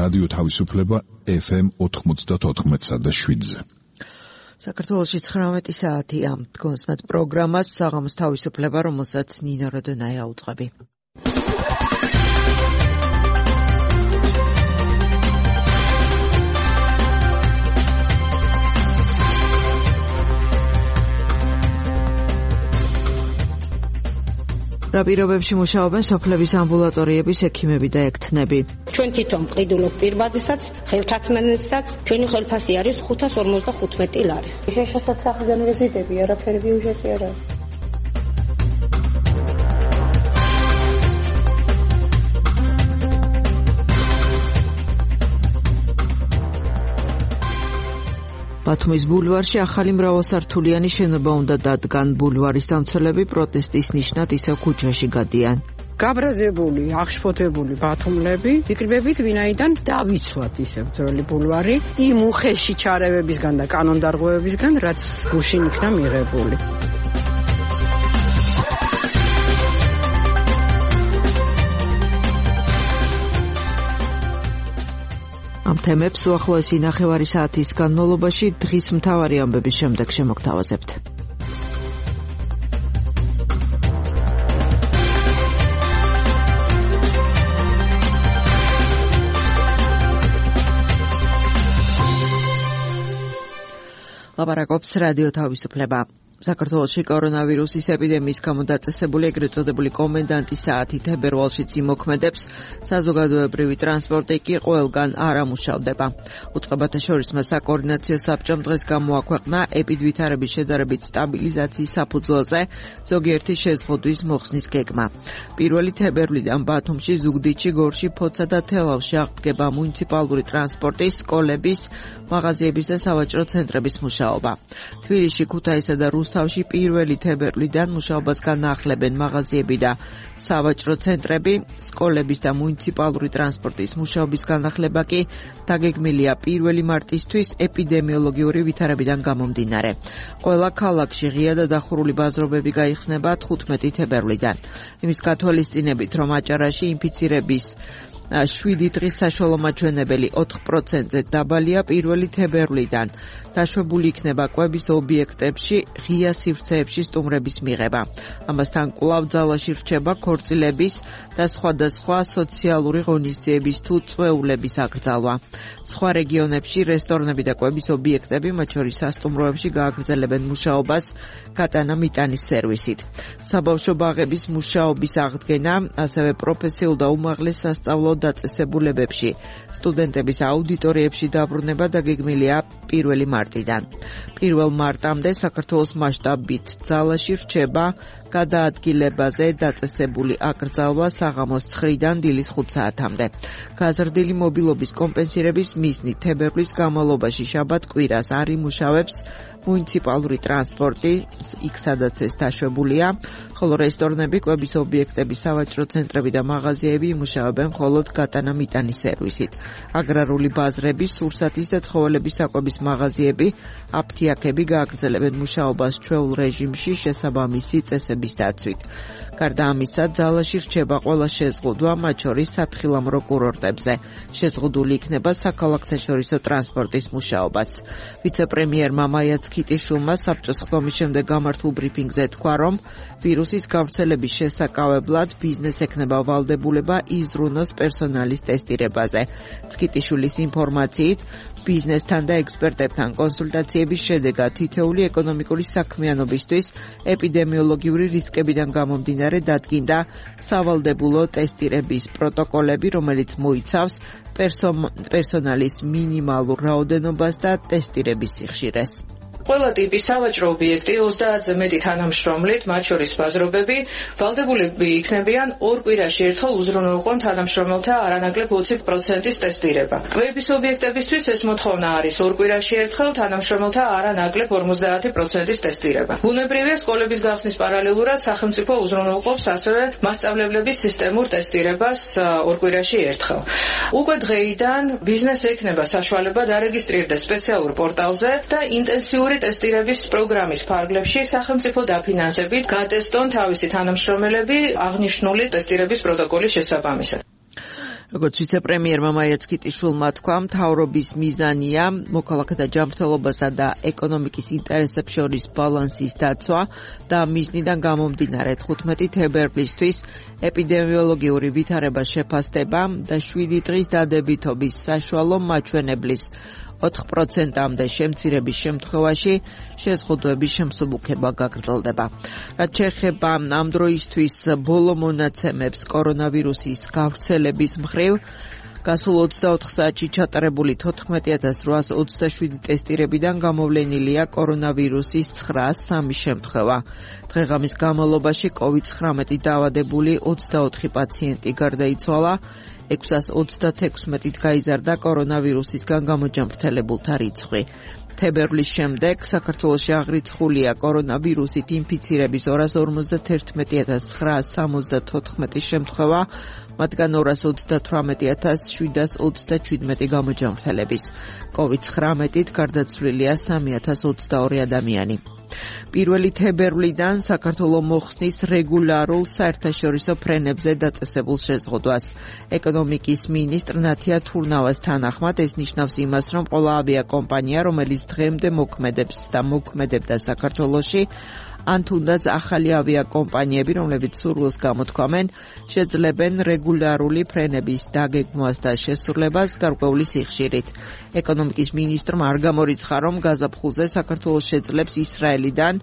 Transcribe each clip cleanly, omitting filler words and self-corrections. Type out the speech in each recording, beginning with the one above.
რადიო თავისუფლება FM 94.7-ზე. საქართველოში 19 საათია. გონსმათ პროგრამას საღამოს თავისუფლება, რომელსაც ნინო როდონაია უძღვები. რა პირობებში მუშაობენ სოფლების ამბულატორიების ექიმები და ექთნები? ჩვენ თვითონ მყიდულობ პირბადისაც, ხელთათმენელსაც, ჩვენი ხელფასი არის 555 ლარი. შეშოთად სახლიდან ვიზიტები, არაფერი ბიუჯეტი არა. ბათუმის ბულვარში ახალი მრავალსართულიანი შენობა უნდა დადგან. ბულვარის დამცველები პროტესტის ნიშნად ისევ ქუჩაში გადიან. გაბრაზებული, აღშფოთებული ბათუმლები ვიკრიბებით, ვინაიდან დავიცვათ ისევ ძველი ბულვარი იმ უხეში ჩარევებისგან და კანონდარღვევებისგან, რაც გუშინ იქნა მიღებული. ამ თემებს უახლოესი ნახევარი საათის განმავლობაში დღის მთავარი ამბების შემდეგ შემოგთავაზებთ. ლაპარაკობს რადიო თავისუფლება. საქართველოში კორონავირუსის ეპიდემიის გამო დაწესებული ეგრეთ წოდებული კომენდანტის საათი თებერვალშიც იმოქმედებს, საზოგადოებრივი ტრანსპორტი კი ყველგან არ ამუშავდება. უწყებათა შორისმა საკოორდინაციო საბჭომ დღეს გამოაქვეყნა ეპიდვითარების შედარებით სტაბილიზაციის საფუძველზე ზოგიერთი შეზღუდვის მოხსნის გეგმა. 1 თებერვლიდან ბათუმში, ზუგდიდში, გორში, ფოცა და თელავში აღდგება მუნიციპალური ტრანსპორტის, სკოლების, მაღაზიების და სავაჭრო ცენტრების მუშაობა. თბილისში, ქუთაისსა და რუსთავში 1 თებერვლიდან მუშაობას განაახლებენ მაღაზიები და სავაჭრო ცენტრები, სკოლების და მუნიციპალური ტრანსპორტის მუშაობის განახლება კი დაგეგმილია 1 მარტისთვის ეპიდემიოლოგიური ვითარებიდან გამომდინარე. ყველა ქალაქში ღია და დახურული ბაზრობები გაიხსნება 15 თებერვლიდან. იმის გათვალისწინებით, რომ აჭარაში ინფიცირების 7 დღის საშუალო მაჩვენებელი 4%-ზე დაბალია 1 თებერვლიდან. დაშვებული იქნება კვების ობიექტებში ღია სივრცეებში სტუმრების მიღება. ამასთან კვლავ ძალაში რჩება ქორწილების და სხვადასხვა სოციალური ღონისძიების თუ წვეულების აკრძალვა. სხვა რეგიონებში რესტორნები და კვების ობიექტები, მათ შორის სასტუმროებში, გააგრძელებენ მუშაობას გატანა მიტანის სერვისით. საბავშვო ბაღების მუშაობის აღდგენა, ასევე პროფესიულ და უმაღლეს სასწავლო დაწესებულებებში, სტუდენტების აუდიტორიებში დაბრუნება დაგეგმილია 1 მარტიდან. 1 მარტამდე საქართველოს მასშტაბით ძალაში რჩება გადაადგილებაზე დაწესებული აკრძალვა საღამოს 9-დან დილის 5 საათამდე. გაზრდილი მობილობის კომპენსირების მიზნით თებერვლის განმავლობაში შაბათ-კვირას არ იმუშავებს მუნიციპალური ტრანსპორტი, იქ სადაც ეს დაშვებულია, ხოლო რესტორნები, კვების ობიექტები, სავაჭრო ცენტრები და მაღაზიები იმუშავებენ მხოლოდ გატანა მიტანის სერვისით. აგრარული ბაზრები, სურსათის და ცხოველების საკვების მაღაზიები, აფთიაქები გააგრძელებენ მუშაობას ჩვეულ რეჟიმში შესაბამისი წესების დაცვით. გარდა ამისა, ძალაში რჩება ყველა შეზღუდვა, მათ შორის სათხილამურო კურორტებზე. შეზღუდული იქნება საქალაქთაშორისო ტრანსპორტის მუშაობაც. ვიცე-პრემიერმა მაია ქიტიშვილმა საბჭოს ხდომის შემდეგ გამართულ ბრიფინგზე თქვა, რომ ვირუსის გავრცელების შესაკავებლად ბიზნეს ექნება ვალდებულება იზრუნოს პერსონალის ტესტირებაზე. ქიტიშვილის ინფორმაციით, ბიზნესთან და ექსპერტებთან კონსულტაციების შედეგად თითეული ეკონომიკური საქმიანობისთვის ეპიდემიოლოგიური რისკებიდან გამომდინარე დადგინდა სავალდებულო ტესტირების პროტოკოლები, რომელიც მოიცავს პერსონალის მინიმალურ რაოდენობას და ტესტირების სიხშირეს. ყველა ტიპის სავაჭრო ობიექტი 30-ზე მეტი თანამშრომლით, მათ შორის ბაზრობები, ვალდებულები იქნებიან 2 კვირაში ერთხელ უზრუნველყონ თანამშრომელთა არანაკლებ 20%-ის ტესტირება. კვების ობიექტებისთვის ეს მოთხოვნა არის 2 კვირაში ერთხელ თანამშრომელთა არანაკლებ 50%-ის ტესტირება. ბუნებრივია, სკოლების გახსნის პარალელურად სახელმწიფო უზრუნველყოფს ასევე მასწავლებლების სისტემურ ტესტირებას 2 კვირაში ერთხელ. უკვე დღეიდან ბიზნეს ექნება საშუალება დარეგისტრირდეს სპეციალურ პორტალზე და ინტენსიური ტესტირების პროგრამის ფარგლებში სახელმწიფო დაფინანსებით გატესტონ თავისი თანამშრომელები აღნიშნული ტესტირების პროტოკოლის შესაბამისად. როგორც ვიცე-პრემიერმა მაია ცქიტიშვილმა თქვა, მთავრობის მიზანია მოქალაქეთა ჯანმრთელობასა და ეკონომიკის ინტერესებს შორის ბალანსის დაცვა და მიზნიდან გამომდინარე 15 თებერვლისთვის ეპიდემიოლოგიური ვითარებას შეფასდება და 7 დღის დადებითობის საშუალო მაჩვენებლის 4%-მდე შემცირების შემთხვევაში შეზღუდვების შემსუბუქება გაგრძელდება. რაც შეეხება ამ დროისთვის ბოლო მონაცემებს კორონავირუსის გავრცელების მხრივ, გასულ 24 საათში ჩატარებული 14827 ტესტირებიდან გამოვლენილია კორონავირუსის 903 შემთხვევა. დღეღამის განმავლობაში COVID-19 დაავადებული 24 პაციენტი გარდაიცვალა, 636-ით გაიზარდა კორონავირუსისგან გამოჯანმრთელებულთა რიცხვი. თებერვლის შემდეგ საქართველოში აღრიცხულია კორონავირუსით ინფიცირების 251,974 შემთხვევა, მათგან 238,727 გამოჯანმრთელების. COVID-19-ით გარდაცვლილია 3022 ადამიანი. 1 თებერვლიდან საქართველო მოხსნის რეგულარულ საერთაშორისო ფრენებზე დაწესებულ შეზღუდვას. ეკონომიკის მინისტრ ნათია თურნავას თანახმად ეს ნიშნავს იმას, რომ ყველა ავიაკომპანია, რომელიც დღემდე მოქმედებს და მოქმედებდა საქართველოში, ან თუნდაც ახალი ავიაკომპანიები, რომლებიც სურვილს გამოთქვამენ, შეძლებენ რეგულარული ფრენების დაგეგმვას და შესრულებას გარკვეული სიხშირით. ეკონომიკის მინისტრმა არ გამორიცხა, რომ გაზაფხულზე საქართველოს შეძლებს ისრაელიდან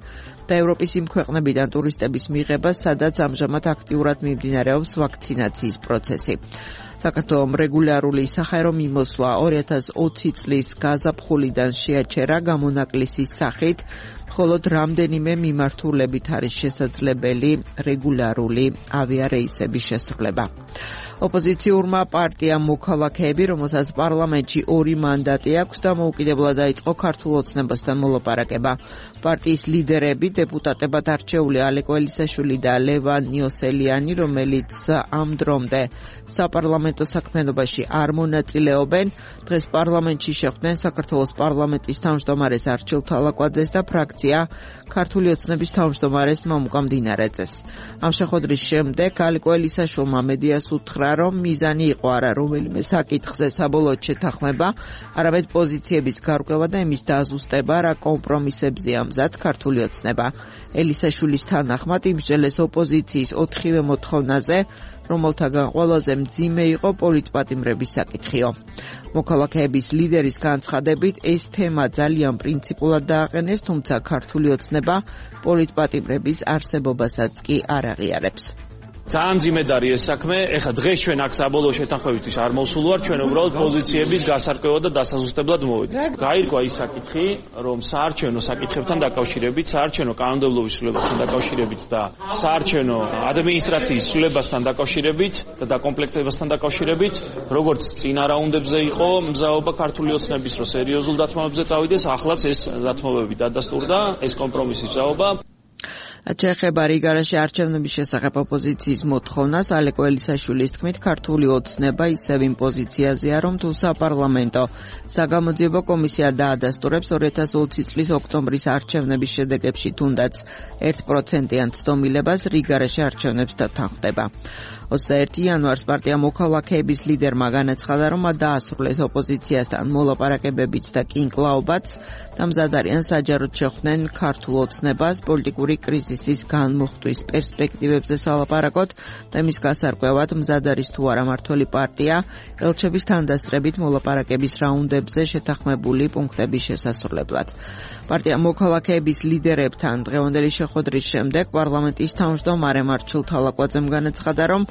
და ევროპის იმ ქვეყნებიდან ტურისტების მიღებას, სადაც ამჟამად აქტიურად მიმდინარეობს ვაქცინაციის პროცესი. საქართველომ რეგულარული საჰაერო მიმოსვლა 2020 წლის გაზაფხულიდან შეაჩერა გამონაკლისის სახით, მხოლოდ რამდენიმე მიმართულებით არის შესაძლებელი რეგულარული ავიარეისების შესრულება. ოპოზიციურმა პარტიამ მოქალაქეები, რომელსაც პარლამენტში 2 მანდატი აქვს, დამოუკიდებლად დაიწყო ქართულ ოცნებასთან მოლაპარაკება. პარტიის ლიდერები, დეპუტატებად არჩეული ალეკო ელისაშვილი და ლევან ნიოსელიანი, რომელიც ამ დრომდე საპარლამენტო საქმიანობაში არ მონაწილეობენ, დღეს პარლამენტში შეხვდნენ საქართველოს პარლამენტის თავმჯდომარეს არჩილ თალაკვაძეს და ფრაქცია ქართული ოცნების თავმჯდომარეს მამუკა მდინარეძეს. ამ შეხვედრის შემდეგ ალეკო ელისაშვილმა მედიას უთხრა, რომ მიზანი იყო არა რომელიმე საკითხზე საბოლოოდ შეთანხმება, არამედ პოზიციების გარკვევა და იმის დაზუსტება, რა კომპრომისებზეა მზად ქართული ოცნება. ელისაშვილის თანახმად იმსჯელეს ოპოზიციის 4-ვე მოთხოვნაზე, რომელთაგან ყველაზე მძიმე იყო პოლიტპატიმრების საკითხიო. მოქალაქეების ლიდერის განცხადებით, ეს თემა ძალიან პრინციპულად დააყენეს, თუმცა ქართული ოცნება პოლიტპატიმრების არსებობასაც კი არ აღიარებს. ძალიან ძიმედ არის ეს საქმე. ეხლა დღეს ჩვენ აქ საბოლოო შეთანხმებისთვის არ მოვსულ ვარ, ჩვენ უბრალოდ პოზიციების გასარკვევად და დასაზუსტებლად მოვედით. გაირკვა ის საკითხი, რომ საარჩევნო საკითხებთან დაკავშირებით, საარჩევნო კანონმდებლობის ცვლილებასთან დაკავშირებით და საარჩევნო ადმინისტრაციის ცვლილებასთან დაკავშირებით და დაკომპლექტებასთან დაკავშირებით, როგორც წინა რაუნდებზე იყო მზაობა ქართული ოცნების, რომ სერიოზულ დათმობებზე წავიდეს, ახლაც ეს დათმობები დადასტურდა, ეს კომპრომისის მზაობა. შეეხება რიგარაში არჩევნების შესახებ ოპოზიციის მოთხოვნას, ალეკო ელისაშვილის თქმით, ქართული ოცნება ისევ იმ პოზიციაზეა, რომ თუ საპარლამენტო საგამოძიებო კომისია დაადასტურებს 2020 წლის ოქტომბრის არჩევნების შედეგებში თუნდაც 1%-იან ცდომილებას, რიგარაში არჩევნებს დათანხმდება. 21 იანვარს პარტია მოქალაქეების ლიდერმა განაცხადა, რომ დაასრულეს ოპოზიციასთან მოლაპარაკებებიც და კინკლაობაც და მზად არიან საჯაროდ შეხვდნენ ქართულ ოცნებას პოლიტიკური კრიზისის განმოხტვის პერსპექტივებზე სალაპარაკოთ და მის გასარკვევად მზად არის თუ არა მმართველი პარტია ელჩების თანდასწრებით მოლაპარაკების რაუნდებზე შეთანხმებული პუნქტების შესასრულებლად. პარტია მოქალაქეების ლიდერებთან დღევანდელი შეხვედრის შემდეგ პარლამენტის თავმჯდომარემ არჩილ თალაკვაძემ განაცხადა, რომ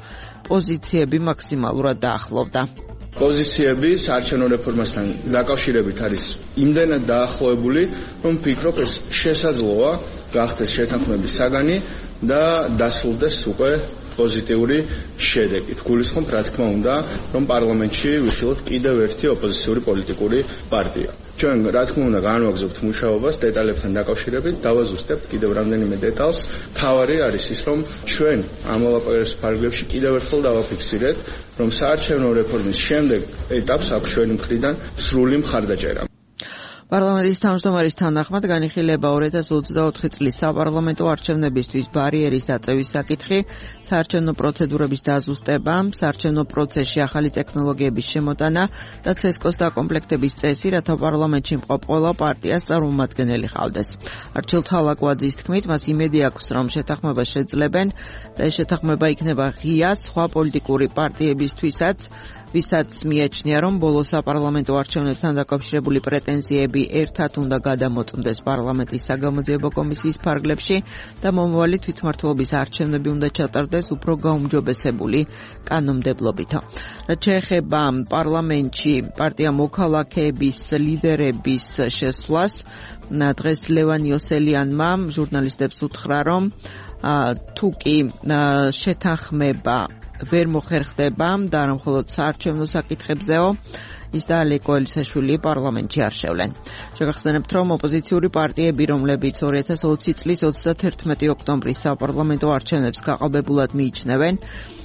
პოზიციები მაქსიმალურად დაახლოვდა. პოზიციები საარჩევნო რეფორმასთან დაკავშირებით არის იმდენად დაახლოებული, რომ ვფიქრობ, ეს შესაძლოა გახდეს შეთანხმების საგანი და დასრულდეს უკვე პოზიტიური შედეგით. გულისხმობ, რა თქმა უნდა, რომ პარლამენტში ვიხილოთ კიდევ ერთი ოპოზიციური პოლიტიკური პარტია. ჩვენ რა თქმა უნდა განვაგრძობთ მუშაობას დეტალებთან დაკავშირებით, დავაზუსტებთ კიდევ რამდენიმე დეტალს. თავარი არის ის, რომ ჩვენ ამ მოლაპარაკების ფარგლებში კიდევ ერთხელ დავაფიქსირეთ, რომ საარჩევნო რეფორმის შემდეგ ეტაპს აქვს ჩვენი მხრიდან სრული მხარდაჭერა. პარლამენტის თავმჯდომარის თანახმად განიხილება 2024 წლის საპარლამენტო არჩევნებისთვის ბარიერის დაწევის საკითხი, საარჩევნო პროცედურების დაზუსტება, საარჩევნო პროცესში ახალი ტექნოლოგიების შემოტანა და ცესკოს დაკომპლექტების წესი, რათა პარლამენტში მყოფ ყველა პარტიას წარმომადგენელი ჰყავდეს. არჩილთა ლაკვაძის თქმით, მას იმედი აქვს, რომ შეთანხმებას შეძლებენ და ეს შეთანხმება იქნება ღია სხვა პოლიტიკური პარტიებისთვისაც, ვისაც მიაჩნია, რომ ბოლო საპარლამენტო არჩევნებთან დაკავშირებული პრეტენზიები ერთად უნდა გადამოწმდეს პარლამენტის საგამოძიებო კომისიის ფარგლებში და მომავალი თვითმმართველობის არჩევნები უნდა ჩატარდეს უფრო გაუმჯობესებული კანონმდებლობით. რაც შეეხება პარლამენტში პარტია მოქალაქეების ლიდერების შესვლას, დღეს ლევან იოსელიანმა ჟურნალისტებს უთხრა, რომ თუ კი შეთანხმება ვერ მოხერხდება და არა მხოლოდ საარჩევნო საკითხებზეო, ის და ალეკო ელისაშვილი პარლამენტში არ შევლენ. შეგახსენებთ, რომ ოპოზიციური პარტიები, რომლებიც 2020 წლის 31 ოქტომბრის საპარლამენტო არჩევნებს გაყალბებულად მიიჩნევენ,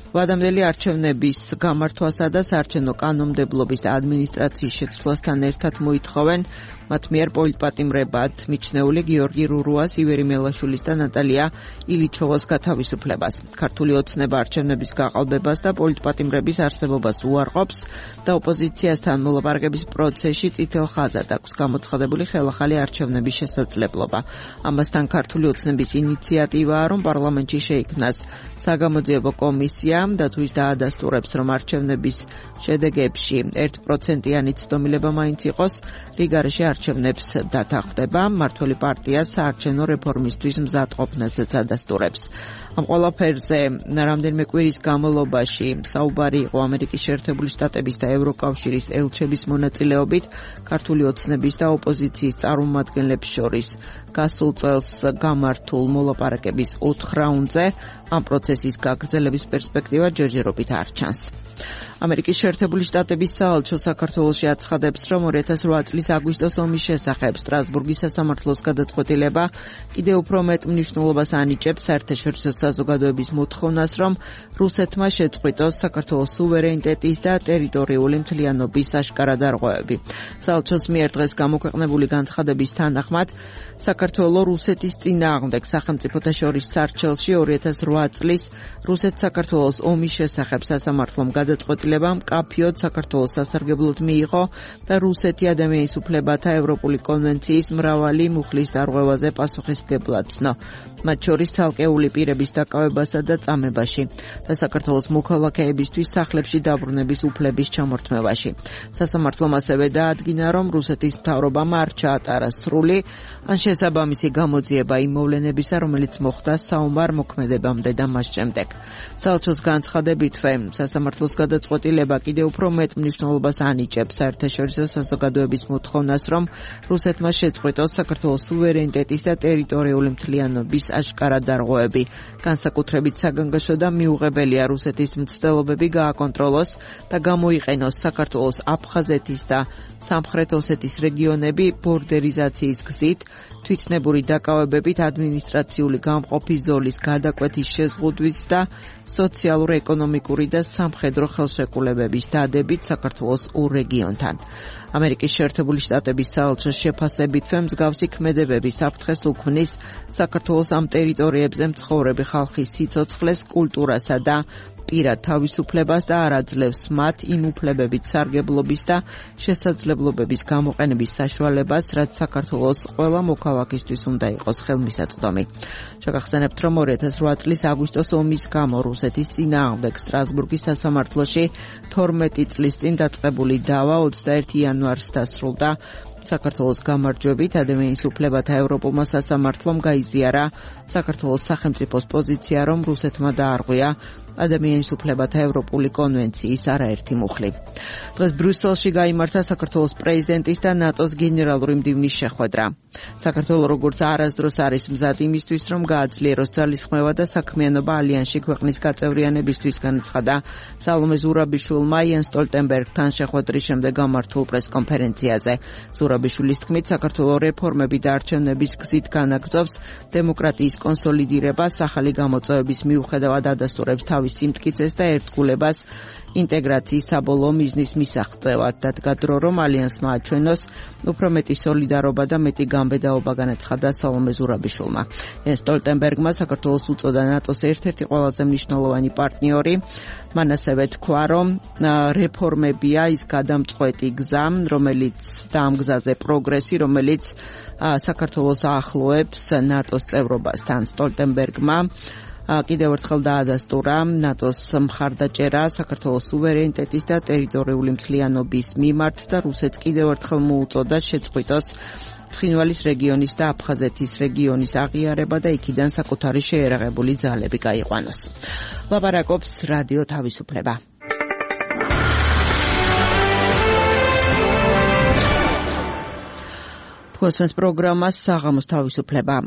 ვადამდელი არჩევნების გამართვასა და საარჩევნო კანონმდებლობის და ადმინისტრაციის შეცვლასთან ერთად მოითხოვენ მათ მიერ პოლიტპატიმრებად მიჩნეული გიორგი რურუას, ივერი მელაშვილის და ნატალია ილიჩოვას გათავისუფლებას. ქართული ოცნება არჩევნების გაყალბებას და პოლიტპატიმრების არსებობას უარყოფს და ოპოზიციასთან მოლაპარაკების პროცესში წითელ ხაზად აქვს გამოცხადებული ხელახალი არჩევნების შესაძლებლობა. ამასთან ქართული ოცნების ინიციატივაა, რომ პარლამენტში შეიქმნას საგამოძიებო კომისია და თუ ის დაადასტურებს, რომ არჩევნების შედეგებში 1%-იანი ცდომილება მაინც იყოს, რიგარეში არჩევნებს დათანხმდება, მმართველი პარტია საარჩევნო რეფორმისთვის მზადყოფნასაც ადასტურებს. ამ ყველაფერზე რამდენიმე კვირის განმავლობაში საუბარი იყო ამერიკის შეერთებული შტატების და ევროკავშირის ელჩების მონაწილეობით ქართული ოცნების და ოპოზიციის წარმომადგენლებს შორის გასულ წელს გამართულ მოლაპარაკების 4 რაუნდზე ამ პროცესის გაგრძელების პერსპექტივა ჯერჯერობით არ ჩანს. ამერიკის შეერთებული შტატების საელჩო საქართველოში აცხადებს, რომ 2008 წლის აგვისტოს ომის შესახებ სტრასბურგის სასამართლოს გადაწყვეტილება კიდევ უფრო მეტ მნიშვნელობას ანიჭებს საერთაშორისო საზოგადოების მოთხოვნას, რომ რუსეთმა შეწყვიტოს საქართველოს სუვერენიტეტის და ტერიტორიული მთლიანობის აშკარა დარღვევები. საელჩოს მიერ დღეს გამოქვეყნებული განცხადების თანახმად, საქართველოს რუსეთის წინააღმდეგ სახელმწიფოთა შორის სარჩელში 2008 წლის რუსეთ-საქართველოს ომის შესახებ სასამართლომ გადაწყვეტილება მკაფიოდ საქართველოს სასარგებლოდ მიიღო და რუსეთი ადამიანის უფლებათა ევროპული კონვენციის მრავალი მუხლის დარღვევაზე პასუხისმგებლად ცნო, მათ შორის ცალკეული პირების დაკავებასა და წამებაში და საქართველოს მოქალაქეებისთვის სახლებში დაბრუნების უფლების ჩამორთმევაში. სასამართლომ ასევე დაადგინა, რომ რუსეთის მთავრობამ არ ჩაატარა სრული ან შესაბამისი გამოძიება იმ მოვლენებისა, რომელიც მოხდა საომარ მოქმედებამდე და მას შემდეგ. საელჩოს განცხადებითვე, სასამართლოს გადაწყვეტილება კიდევ უფრო მეტ მნიშვნელობას ანიჭებს საერთაშორისო საზოგადოების მოთხოვნას, რომ რუსეთმა შეწყვიტოს საქართველოს სუვერენიტეტის და ტერიტორიული მთლიანობის აშკარა დარღვევები. განსაკუთრებით საგანგაშო და მიუღებელია რუსეთის მცდელობები გააკონტროლოს და გამოიყენოს საქართველოს აფხაზეთის და სამხრეთ ოსეთის რეგიონები ბორდერიზაციის გზით, თვითნებური დაკავებებით, ადმინისტრაციული გამყოფის ზოლის გადაკვეთის შეზღუდვით და სოციალურ-ეკონომიკური და სამხედრო ხელშეკრულებების დადებით საქართველოს ორ რეგიონთან. ამერიკის შეერთებული შტატების საელჩოს შეფასებითვე მსგავსი ქმედებები საფრთხეს უქმნის საქართველოს ამ ტერიტორიებზე მცხოვრები ხალხის სიცოცხლეს, კულტურასა და პირად თავისუფლებას და არ აძლევს მათ იმ უფლებებით სარგებლობის და შესაძლებლობების გამოყენების საშუალებას, რაც საქართველოს ყველა მოქალაქისთვის უნდა იყოს ხელმისაწვდომი. შეგახსენებთ, რომ 2008 წლის აგვისტოს ომის გამო რუსეთის წინააღმდეგ სტრასბურგის სასამართლოში 12 წლის წინ დაწყებული დავა 21 იანვარს დასრულდა. საქართველოს გამარჯვებით ადამიანის უფლებათა ევროპულმა სასამართლომ გაიზიარა საქართველოს სახელმწიფოს პოზიცია, რომ რუსეთმა დაარღვია ადამიანის უფლებათა ევროპული კონვენციის არაერთი მუხლი. დღეს ბრიუსელში გაიმართა საქართველოს პრეზიდენტის და ნატოს გენერალური მდივნის შეხვედრა. საქართველო როგორც არასდროს არის მზად იმისთვის, რომ გააძლიეროს ძალისხმევა და საქმიანობა ალიანსში ქვეყნის გაწევრიანებისთვის, განაცხადა სალომე ზურაბიშვილმა იენ სტოლტენბერგთან შეხვედრის შემდეგ გამართულ პრესკონფერენციაზე. ზურაბიშვილის თქმით, საქართველოს რეფორმები და არჩევნების გზით განაგრძობს დემოკრატიის კონსოლიდირებას, ახალი გამოწვევების მიუხედავად ადასტურებს თავის სიამოვნების სიმტკიცეს და ერთგულებას ინტეგრაციის საბოლოო მიზნის მისაღწევად. დადგა დრო, რომ ალიანსმა აჩვენოს უფრო მეტი სოლიდარობა და მეტი გამბედაობა განაცხადა სალომე ზურაბიშვილმა. ჯენს სტოლტენბერგმა საქართველოს უწოდა ნატოს ერთ-ერთი ყველაზე მნიშვნელოვანი პარტნიორი. მან ასევე თქვა, რომ რეფორმებია ის გადამწყვეტი გზა, რომელიც და ამ გზაზე პროგრესი, რომელიც საქართველოს აახლოებს ნატოს წევრობასთან. სტოლტენბერგმა კიდევ ერთხელ დაადასტურა ნატოს მხარდაჭერა საქართველოს სუვერენიტეტის და ტერიტორიული მთლიანობის მიმართ და რუსეთს კიდევ ერთხელ მოუწოდა შეწყვიტოს ცხინვალის რეგიონის და აფხაზეთის რეგიონის აღიარება და იქიდან საკუთარი შეერაღებული ძალები გაიყვანოს. ლაპარაკობს რადიო თავისუფლება. თქვენს პროგრამას საღამოს თავისუფლება.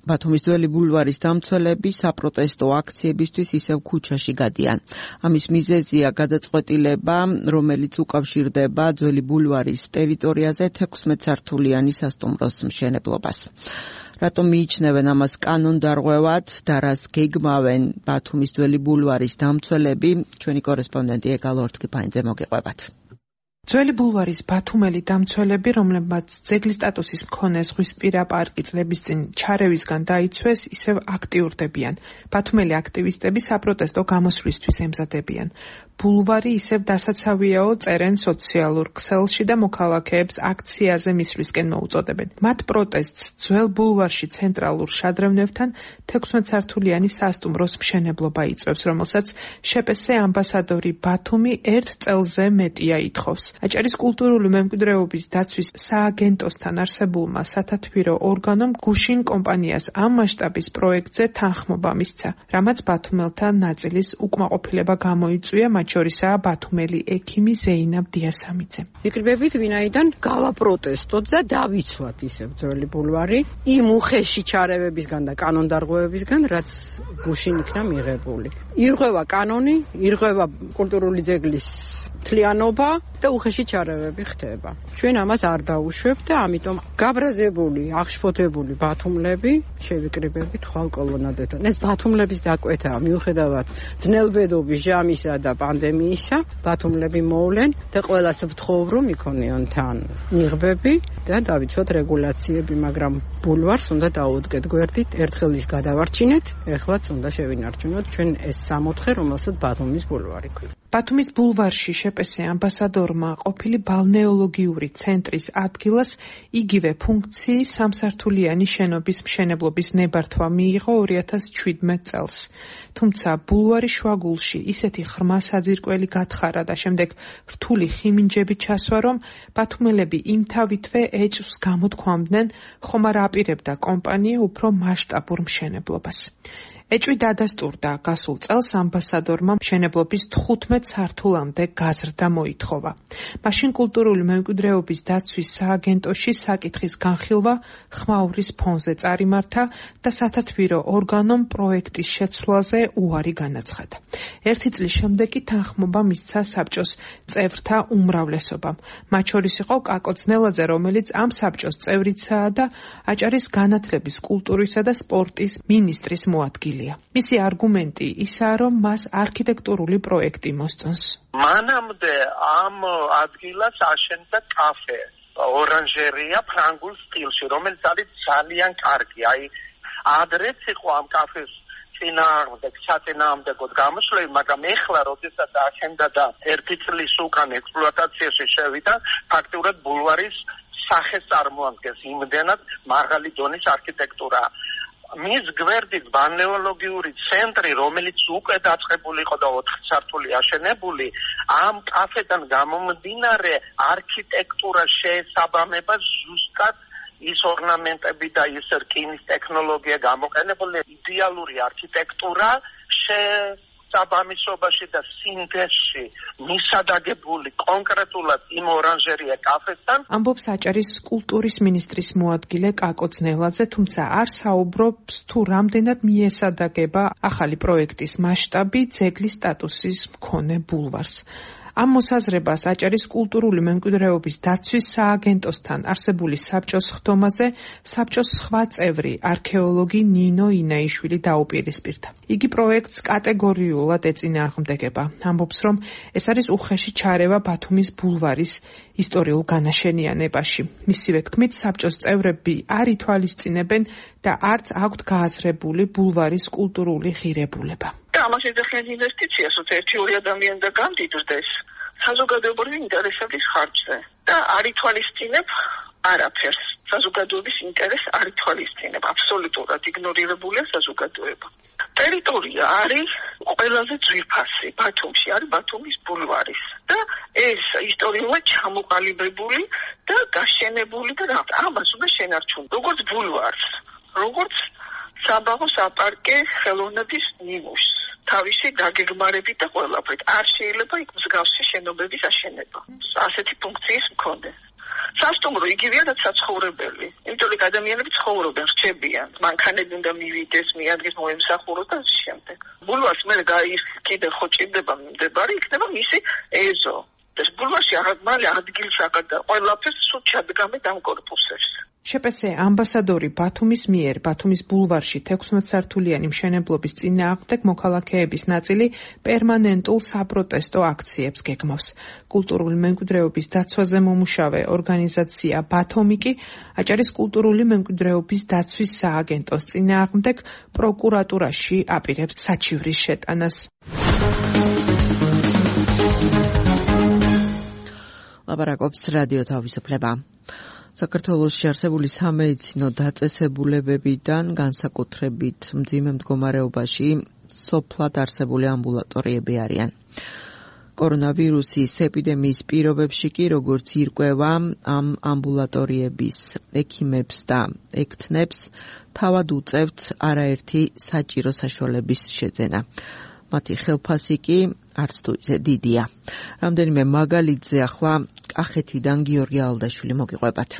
ბათუმის ძველი ბულვარის დამცველები საპროტესტო აქციებისთვის ისევ ქუჩაში გადიან. ამის მიზეზია გადაწყვეტილება, რომელიც უკავშირდება ძველი ბულვარის ტერიტორიაზე 16 სართულიანი სასტუმროს მშენებლობას. რატომ მიიჩნევენ ამას კანონდარღვევად და რას გეგმავენ ბათუმის ძველი ბულვარის დამცველები? ჩვენი კორესპონდენტი ეგალ ორთქიფანიძე მოგიყვებათ. ძველი ბულვარის ბათუმელი დამცველები, რომლებმაც ძეგლის სტატუსის მქონე ზღვისპირა პარკი წლების წინ ჩარევისგან დაიცვეს, ისევ აქტიურდებიან. ბათუმელი აქტივისტები საპროტესტო გამოსვლისთვის ემზადებიან. ბულვარი ისევ დასაცავიაო, წერენ სოციალურ ქსელში და მოქალაქეებს აქციაზე მისვლისკენ მოუწოდებენ. მათ პროტესტს ძველ ბულვარში ცენტრალურ შადრევნებთან 16 სართულიანი სასტუმროს მშენებლობა იწვევს, რომელსაც შპს ამბასადორი ბათუმი 1 წელზე მეტია ითხოვს. აჭარის კულტურული მემკვიდრეობის დაცვის სააგენტოსთან არსებულმა სათათბირო ორგანომ გუშინ კომპანიას ამ მასშტაბის პროექტზე თანხმობა მისცა, რამაც ბათუმელთა ნაწილის უკმაყოფილება გამოიწვია, მათ შორისაა ბათუმელი ექიმი ზეინაბ დიასამიძე. ვიკრიბებით, ვინაიდან გავაპროტესტოთ და დავიცვათ ისევ ძველი ბულვარი იმ უხეში ჩარევებისგან და კანონდარღვევებისგან, რაც გუშინ იქნა მიღებული. ირღვევა კანონი, ირღვევა კულტურული ძეგლის მთლიანობა და უხეში ჩარევები ხდება. ჩვენ ამას არ დაუშვებთ და ამიტომ გაბრაზებული, აღშფოთებული ბათუმლები შევიკრიბებით ხვალ კოლონადებთან. ეს ბათუმლების დაკვეთაა, მიუხედავად ძნელბედობის, ჟამისა და პანდემიისა, ბათუმლები მოვლენ და ყველას ვთხოვ, რომ იქონიონ თან ნიღბები და დავიცვათ რეგულაციები, მაგრამ ბულვარს უნდა დაუდგეთ გვერდით, ერთხელ ის გადავარჩინეთ, ეხლაც უნდა შევინარჩუნოთ ჩვენ ეს 64, რომელსაც ბათუმის ბულვარი ქვია. ბათუმის ბულვარში შპს ამბასადორმა ყოფილი ბალნეოლოგიური ცენტრის ადგილას იგივე ფუნქციის სამსართულიანი შენობის მშენებლობის ნებართვა მიიღო 2017 წელს. თუმცა ბულვარის შუაგულში ისეთი ღრმა საძირკველი გათხარა და შემდეგ რთული ხიმინჯები ჩასვა, რომ ბათუმელები იმთავითვე ეჭვს გამოთქვამდნენ, ხომ არ აპირებდა კომპანია უფრო მასშტაბურ მშენებლობას. ეჭვი დადასტურდა გასულ წელს ამბასადორმა მშენებლობის 15 სართულამდე გაზრდა მოითხოვა. მაშინ კულტურული მემკვიდრეობის დაცვის სააგენტოში საკითხის განხილვა ხმაურის ფონზე წარიმართა და სათათბირო ორგანომ პროექტის შეცვლაზე უარი განაცხადა. 1 წლის შემდეგ კი თანხმობა მისცა საბჭოს წევრთა უმრავლესობამ. მათ შორის იყო კაკო ძნელაძე, რომელიც ამ საბჭოს წევრიცაა და აჭარის განათლების, კულტურისა და სპორტის მინისტრის მოადგილე. მისი არგუმენტი ისაა, რომ მას არქიტექტურული პროექტი მოსწონს. მანამდე ამ ადგილას აშენდა კაფე, ორანჟერია ფრანგულ სტილში, რომელიც არის ძალიან კარგი. აი, ადრეც იყო ამ კაფეს საწინააღმდეგოდ გამოსვლები, მაგრამ ეხლა, როდესაც აშენდა და 1 წლის უკან ექსპლუატაციაში შევიდა, ფაქტურად ბულვარის სახეს წარმოადგენს, იმდენად მაღალი დონის არქიტექტურა. მის გვერდით ბალნეოლოგიური ცენტრი, რომელიც უკვე დაწყებული იყო და 4 სართული აშენებული, ამ კაფედან გამომდინარე არქიტექტურა შეესაბამება ზუსტად ის ორნამენტები და ის რკინის ტექნოლოგია გამოყენებული, იდეალური არქიტექტურა საბამისობაში და სინთეზში მისადაგებული კონკრეტულად იმ ორანჟერია კაფესთან. ამბობს აჭარის კულტურის მინისტრის მოადგილე კაკო ძნელაძე, თუმცა არ საუბრობს თუ რამდენად მიესადაგება ახალი პროექტის მასშტაბი ძეგლის სტატუსის მქონე ბულვარს. ამ მოსაზრებას აჭარის კულტურული მემკვიდრეობის დაცვის სააგენტოსთან არსებული საბჭოს ხდომაზე საბჭოს სხვა წევრი არქეოლოგი ნინო ინაიშვილი დაუპირისპირდა. იგი პროექტს კატეგორიულად ეწინააღმდეგება. ამბობს, რომ ეს არის უხეში ჩარევა ბათუმის ბულვარის ისტორიულ განაშენიანებაში. მისივე თქმით, საბჭოს წევრები არ ითვალისწინებენ და არც აქვთ გააზრებული ბულვარის კულტურული ღირებულება. ამას ეძახიან ინვესტიციას, ότι ერთი-ორი ადამიანი და გამდიდრდეს საზოგადოებრივი ინტერესების ხარჯზე და არ ითვალისწინებ არაფერს. საზოგადოების ინტერესს არ ითვალისწინებ, აბსოლუტურად იგნორირებულია საზოგადოება. ტერიტორია არის ყველაზე ძვირფასი ბათუმში, არის ბათუმის ბულვარის და ეს ისტორიულად ჩამოყალიბებული და გაშენებული და ამას უნდა შენარჩუნო, როგორც ბულვარს, როგორც საბაღო საპარკე ხელოვნების ნიმუშს. თავისი დაგეგმარებით და ყველაფრით. არ შეიძლება იქ მსგავსი შენობების აშენება. ასეთი ფუნქციის მქონე. სასტუმრო იგივეა რაც საცხოვრებელი. იმიტომ რომ ადამიანები ცხოვრობენ, რჩებიან. მანქანები უნდა მივიდეს, მიადგეს, მოემსახუროს და ამ შემდეგ. ბულვარს მე კიდევ ხო ჭირდება მდებარე, იქნება მისი ეზო. ეს ბულვარში მალე ადგილს აკადა ყველაფერს სულ ჩადგამე ამ კორპუსებს. შპს ამბასადორი ბათუმის მიერ ბათუმის ბულვარში 16 სართულიანი მშენებლობის წინააღმდეგ მოქალაქეების ნაწილი პერმანენტულ საპროტესტო აქციებს გეგმავს. კულტურული მემკვიდრეობის დაცვაზე მომუშავე ორგანიზაცია ბათომიკი აჭარის კულტურული მემკვიდრეობის დაცვის სააგენტოს წინააღმდეგ პროკურატურაში აპირებს საჩივრის შეტანას. ლაპარაკობს რადიო თავისუფლება. საქართველოში არსებული სამედიცინო დაწესებულებებიდან განსაკუთრებით მძიმე მდგომარეობაში სოფლად არსებული ამბულატორიები არიან. კორონავირუსის ეპიდემიის პირობებში კი როგორც ირკვევა ამ ამბულატორიების ექიმებს და ექთნებს თავად უწევთ არაერთი საჭირო საშუალების შეძენა. მათი ხელფასი კი არც თუ ისე დიდია. რამდენიმე მაგალითზე ახლა კახეთიდან გიორგი ალდაშვილი მოგიყვებათ.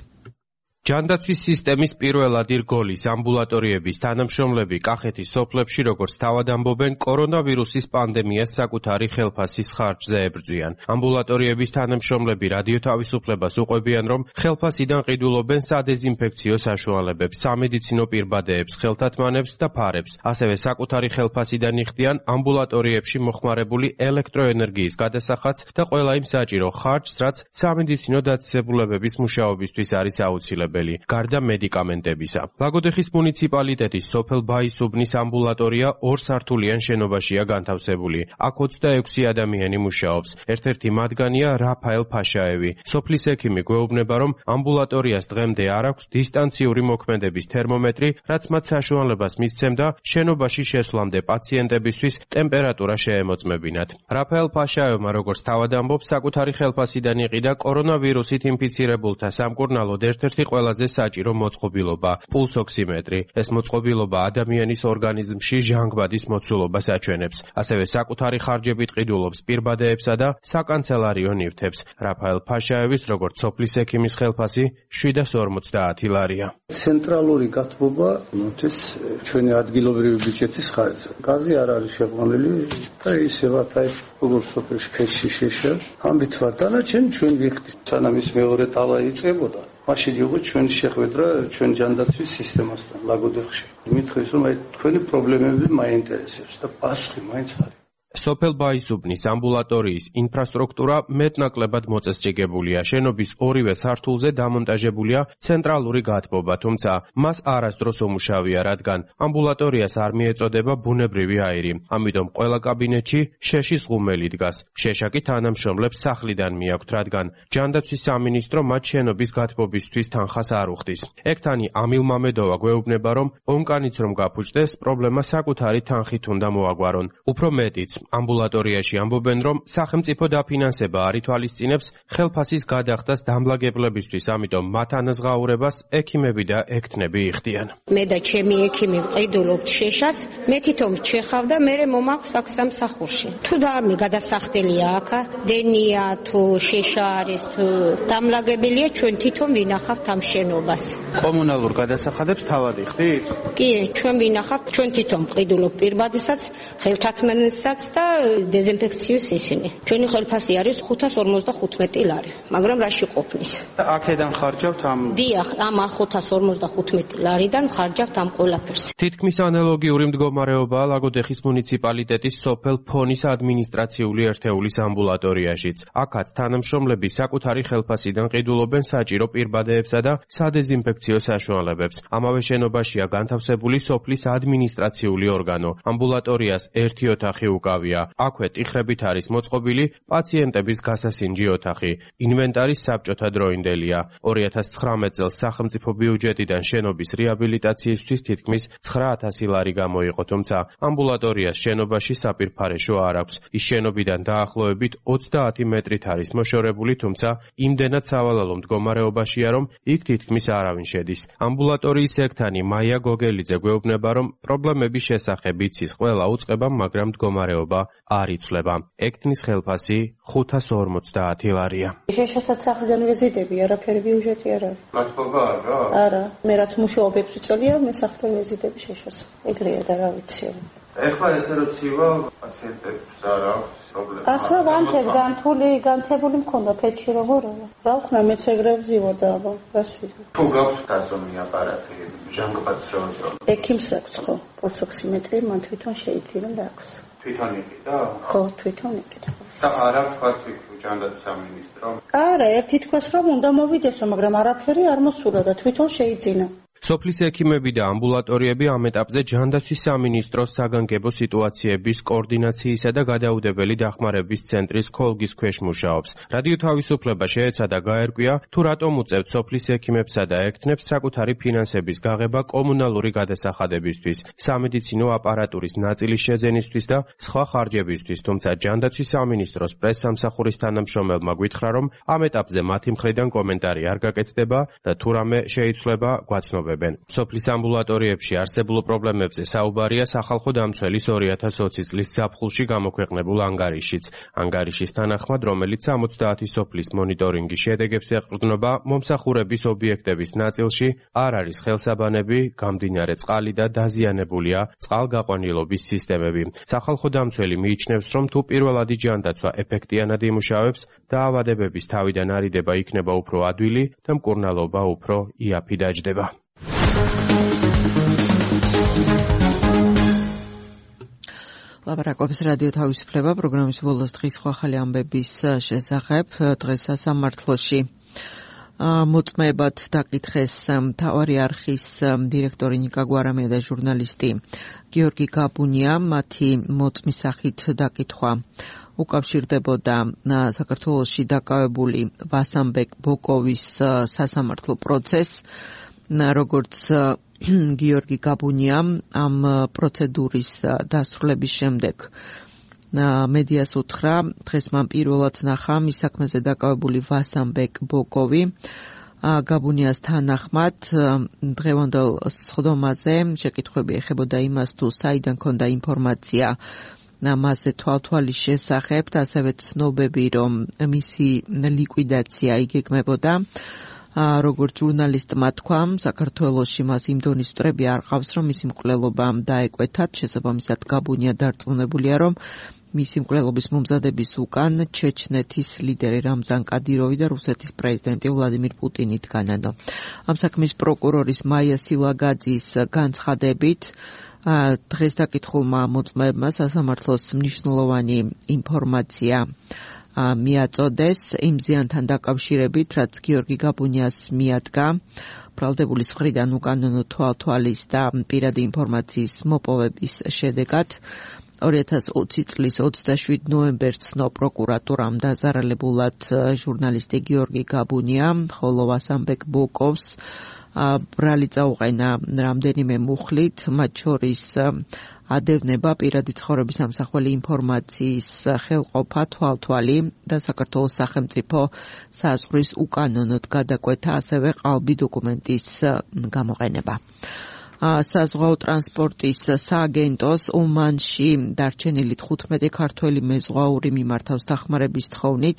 ჯანდაცვის სისტემის პირველად რგოლის ამბულატორიების თანამშრომლები კახეთის სოფლებში როგორც თავად ამბობენ, კორონავირუსის პანდემიას საკუთარი ხელფასის ხარჯზე ებრძვიან. ამბულატორიების თანამშრომლები რადიო თავისუფლებას უყვებიან, რომ ხელფასიდან ყიდულობენ სადეზინფექციო საშუალებებს, სამედიცინო პირბადეებს, ხელთათმანებს და ფარებს. ასევე საკუთარი ხელფასიდან იხდიან ამბულატორიებში მოხმარებული ელექტროენერგიის გადასახადს და ყველა იმ საჭირო ხარჯს, რაც სამედიცინო დაწესებულებების მუშაობისთვის არის აუცილებელი. გარდა მედიკამენტებისა. ლაგოდეხის მუნიციპალიტეტის სოფელ ბაისუბნის ამბულატორია 2 სართულიან შენობაშია განთავსებული. აქ 26 ადამიანი მუშაობს. ერთ-ერთი მათგანია რაფაელ ფაშაევი. სოფლის ექიმი გვეუბნება, რომ ამბულატორიას დღემდე არ აქვს დისტანციური მოქმედების თერმომეტრი, რაც მათ საშუალებას მისცემდა შენობაში შესვლამდე პაციენტებისთვის ტემპერატურა შეემოწმებინათ. რაფაელ ფაშაევმა როგორც თავად ამბობს, საკუთარი ხელფასიდან იყიდა კორონავირუსით ინფიცირებულთა სამკურნალოდ ერთ-ერთი ყველაზე საჭირო მოწყობილობა, პულსოქსიმეტრი. ეს მოწყობილობა ადამიანის ორგანიზმში ჟანგბადის მოცულობას აჩვენებს. ასევე საკუთარი ხარჯებით ყიდულობს პირბადეებსა და საკანცელარიო ნივთებს. რაფაელ ფაშაევის როგორც სოფლის ექიმის ხელფასი 750 ლარია. ცენტრალური გათბობა მოთეს ჩვენი ადგილობრივი ბიუჯეტის ხარჯზე. გაზი არ არის შეყვანილი და ისევაც აი როგორც სოფელში ქეში შეშა. ამით ვარ დანარჩენი ჩვენ ვიხდით. სანამ ის მეორე ტალა იწყებოდა. მაშინ იყო ჩვენი შეხვედრა ჩვენ ჯანდაცვის სისტემასთან ლაგოდეხში. მithres რომ აი თქვენი პრობლემები მაინტერესებს და პასუხი მაინც არის. სოფელ ბაისუბნის ამბულატორიის ინფრასტრუქტურა მეტნაკლებად მოწესრიგებულია. შენობის ორივე სართულზე დამონტაჟებულია ცენტრალური გათბობა, თუმცა მას არასდროს ომუშავია, რადგან ამბულატორიას არ მიეწოდება ბუნებრივი აირი. ამიტომ ყველა კაბინეტში შეშის ღუმელი დგას. შეშა კი თანამშრომლებს სახლიდან მიაქვთ, რადგან ჯანდაცვის სამინისტრო მათ შენობის გათბობისთვის თანხას არ უხდის. ექთანი ამილ მამედოვა გვეუბნება, რომ ონკანიც რომ გაფუჭდეს, პრობლემა საკუთარი თანხით უნდა მოაგვარონ. უფრო მეტიც, ამბულატორიაში ამბობენ, რომ სახელმწიფო დაფინანსება არ ითვალისწინებს ხელფასის გადახდას დამლაგებლებისთვის, ამიტომ მათ ანაზღაურებას ექიმები და ექთნები იხდიან. მე და ჩემი ექიმი ვყიდულობთ შეშას, მე თვითონ ვჩეხავ და მე მომაქვს აქ სამსახურში. თუ და არ გადასახდელია აქ, დენია თუ შეშა არის, თუ დამლაგებელია, ჩვენ თვითონ ვინახავთ ამ შენობას. კომუნალურ გადასახადებს თავად იხდით? კი, ჩვენ ვინახავთ, ჩვენ თვითონ ვყიდულობთ პირბადესაც, ხელთათმანებსაც და და დეზინფექციის ისინი. ჩვენი ხელფასი არის 555 ლარი, მაგრამ რაში ყოფნის? და აქედან ხარჯავთ ამ დიახ, ამ 555 ლარიდან ხარჯავთ ამ ყველაფერს. თითქმის ანალოგიური მდგომარეობაა ლაგოდეხის მუნიციპალიტეტის სოფელ ფონის ადმინისტრაციული ერთეულის ამბულატორიაშიც. აქაც თანამშრომლები საკუთარი ხელფასიდან ყიდულობენ საჭირო პირბადეებსა და სადეზინფექციო საშუალებებს. ამავე შენობაშია განთავსებული სოფლის ადმინისტრაციული ორგანო. ამბულატორიას ერთი ოთახი უკავია. აქვე ტიხრებით არის მოწყობილი პაციენტების გასასინჯი ოთახი. ინვენტარის საბჭოთა დროინდელია. 2019 წელს სახელმწიფო ბიუჯეტიდან შენობის რეაბილიტაციისთვის თითქმის 9000 ლარი გამოიყო, თუმცა ამბულატორიას შენობაში საპირფარეშო არ აქვს. ის შენობიდან დაახლოებით 30 მეტრით არის მოშორებული, თუმცა იმდენად სავალალო მდგომარეობაშია, რომ იქ თითქმის არავინ შედის. ამბულატორიის ექთანი მაია გოგელიძე გვეუბნება, რომ პრობლემების შესახებ იცის ყველა უწყებამ, მაგრამ მდგომარეობა არ იცვლება. ექთნის ხელფასი 550 ლარია. შეშასაც სახლიდან ვეზიდები, არაფერი ბიუჯეტი არ არის. მართლობა არა? არა, მე რაც მუშაობებს ვიწელია, მე სახლიდან ვეზიდები შეშას. ეგრეა და რა ვიცი. ეხლა ესე რო ცივა პაციენტებს არ აქვს პრობლემა. ახლა განთებული მქონდა ფეთში როგორია. რა ვქნა მეც ეგრე ვზივოდა, აბა, რას ვიზი. თუ გაქვს დაზომი აპარატი, ჟანგბადს რო ვიძრო. ექიმს აქვს ხო, პულსოქსიმეტრი მან თვითონ შეიძინა და აქვს. თვითონ იყიდა? ხო, თვითონ იყიდა. და არა თქვა ჯანდაცვის სამინისტრო? არა, ერთი თქვას რომ უნდა მოვიდეს, მაგრამ არაფერი არ მოსულა და თვითონ შეიძინა. სოფლის ექიმები და ამბულატორიები ამ ეტაპზე ჯანდაცვის სამინისტროს საგანგებო სიტუაციების კოორდინაციისა და გადაუდებელი დახმარების ცენტრის ქოლგის ქვეშ მუშაობს. რადიო თავისუფლება შეეცადა გაერკვია, თუ რატომ უწევთ სოფლის ექიმებსა და ექთნებს საკუთარი ფინანსების გაღება კომუნალური გადასახადებისთვის, სამედიცინო აპარატურის ნაწილის შეძენისთვის და სხვა ხარჯებისთვის, თუმცა ჯანდაცვის სამინისტროს პრესსამსახურის თანამშრომელმა გვითხრა, რომ ამ ეტაპზე მათი მხრიდან კომენტარი არ გაკეთდება და თუ რამე შეიცვლება, გვაცნობენ. სოფლის ამბულატორიებში არსებულ პრობლემებზე საუბარია სახალხო დამცველის 2020 წლის ზაფხულში გამოქვეყნებულ ანგარიშიც. ანგარიშის თანახმად, რომელიც 70 სოფლის მონიტორინგის შედეგებს ეყრდნობა, მომსახურების ობიექტების ნაწილში არ არის ხელსაბანები, გამდინარე წყალი და დაზიანებულია წყალგაყვანილობის სისტემები. სახალხო დამცველი მიიჩნევს, რომ თუ პირველადი ჯანდაცვა ეფექტიანად იმუშავებს, დაავადებების თავიდან არიდება იქნება უფრო ადვილი და მკურნალობა უფრო იაფი დაჯდება. ლაპარაკობს რადიო თავისუფლება პროგრამის ბოლოს დღის სხვა ახალი ამბების შესახებ. დღეს სასამართლოში მოწმეებად დაკითხეს მთავარი არხის დირექტორი ნიკა გვარამია და ჟურნალისტი გიორგი გაბუნია. მათი მოწმის სახით დაკითხვა უკავშირდებოდა საქართველოში დაკავებული ვასამბეკ ბოკოვის სასამართლო პროცესს. როგორც გიორგი გაბუნიამ ამ პროცედურის დასრულების შემდეგ მედიას უთხრა, დღეს მან პირველად ნახა მის საქმეზე დაკავებული ვასამბეკ ბოკოვი. გაბუნიას თანახმად დღევანდელ სხდომაზე შეკითხვები ეხებოდა იმას, თუ საიდან ჰქონდა ინფორმაცია მასზე თვალთვალის შესახებ და ასევე ცნობები, რომ მისი ლიკვიდაცია იგეგმებოდა. როგორც ჟურნალისტმა თქვა, საქართველოში მას იმ დონის მტრები არ ყავს, რომ მისი მკვლელობა დაეკვეთათ. შესაბამისად, გაბუნია დარწმუნებულია, რომ მისი მკვლელობის მომზადების უკან ჩეჩნეთის ლიდერი რამზან კადიროვი და რუსეთის პრეზიდენტი ვლადიმირ პუტინი დგანან. ამ საქმის პროკურორის მაია სილაგაძის განცხადებით, დღეს დაკითხულმა მოწმეებმა სასამართლოს მნიშვნელოვანი ინფორმაცია მიაწოდეს იმ ზიანთან დაკავშირებით, რაც გიორგი გაბუნიას მიადგა ბრალდებულის მხრიდან უკანონო თვალთვალის და პირადი ინფორმაციის მოპოვების შედეგად. 2020 წლის 27 ნოემბერს ცნო პროკურატურამ დაზარალებულად ჟურნალისტი გიორგი გაბუნია, ხოლო ვასამბეკ ბოკოვს ბრალი წაუყენა რამდენიმე მუხლით, მათ შორის ადევნება პირადი ცხოვრების ამსახველი ინფორმაციის ხელყოფა, თვალთვალი და საქართველოს სახელმწიფო საზღვრის უკანონოდ გადაკვეთა, ასევე ყალბი დოკუმენტის გამოყენება. საზღვაო ტრანსპორტის სააგენტოს ომანში დარჩენილი 15 ქართველი მეზღვაური მიმართავს დახმარების თხოვნით.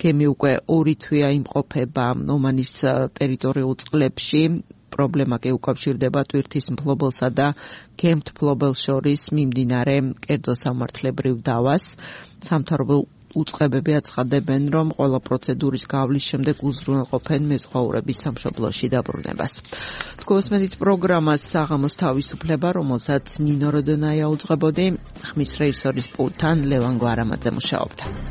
გემი უკვე 2 თვეა იმყოფება ომანის ტერიტორიულ წყლებში. პრობლემა კი უკავშირდება ტვირთის მფლობელსა და გემთმფლობელს შორის მიმდინარე კერძო სამართლებრივ დავას. სამთავრობო უწყებები აცხადებენ, რომ ყველა პროცედურის გავლის შემდეგ უზრუნველყოფენ მეზღვაურების სამშობლოში დაბრუნებას. თქვენს პროგრამას საღამოს თავისუფლება, რომელსაც ნინო როდონაია უძღვებოდი, ხმის რეჟისორის პულტთან ლევან გვარამაძე მუშაობდა.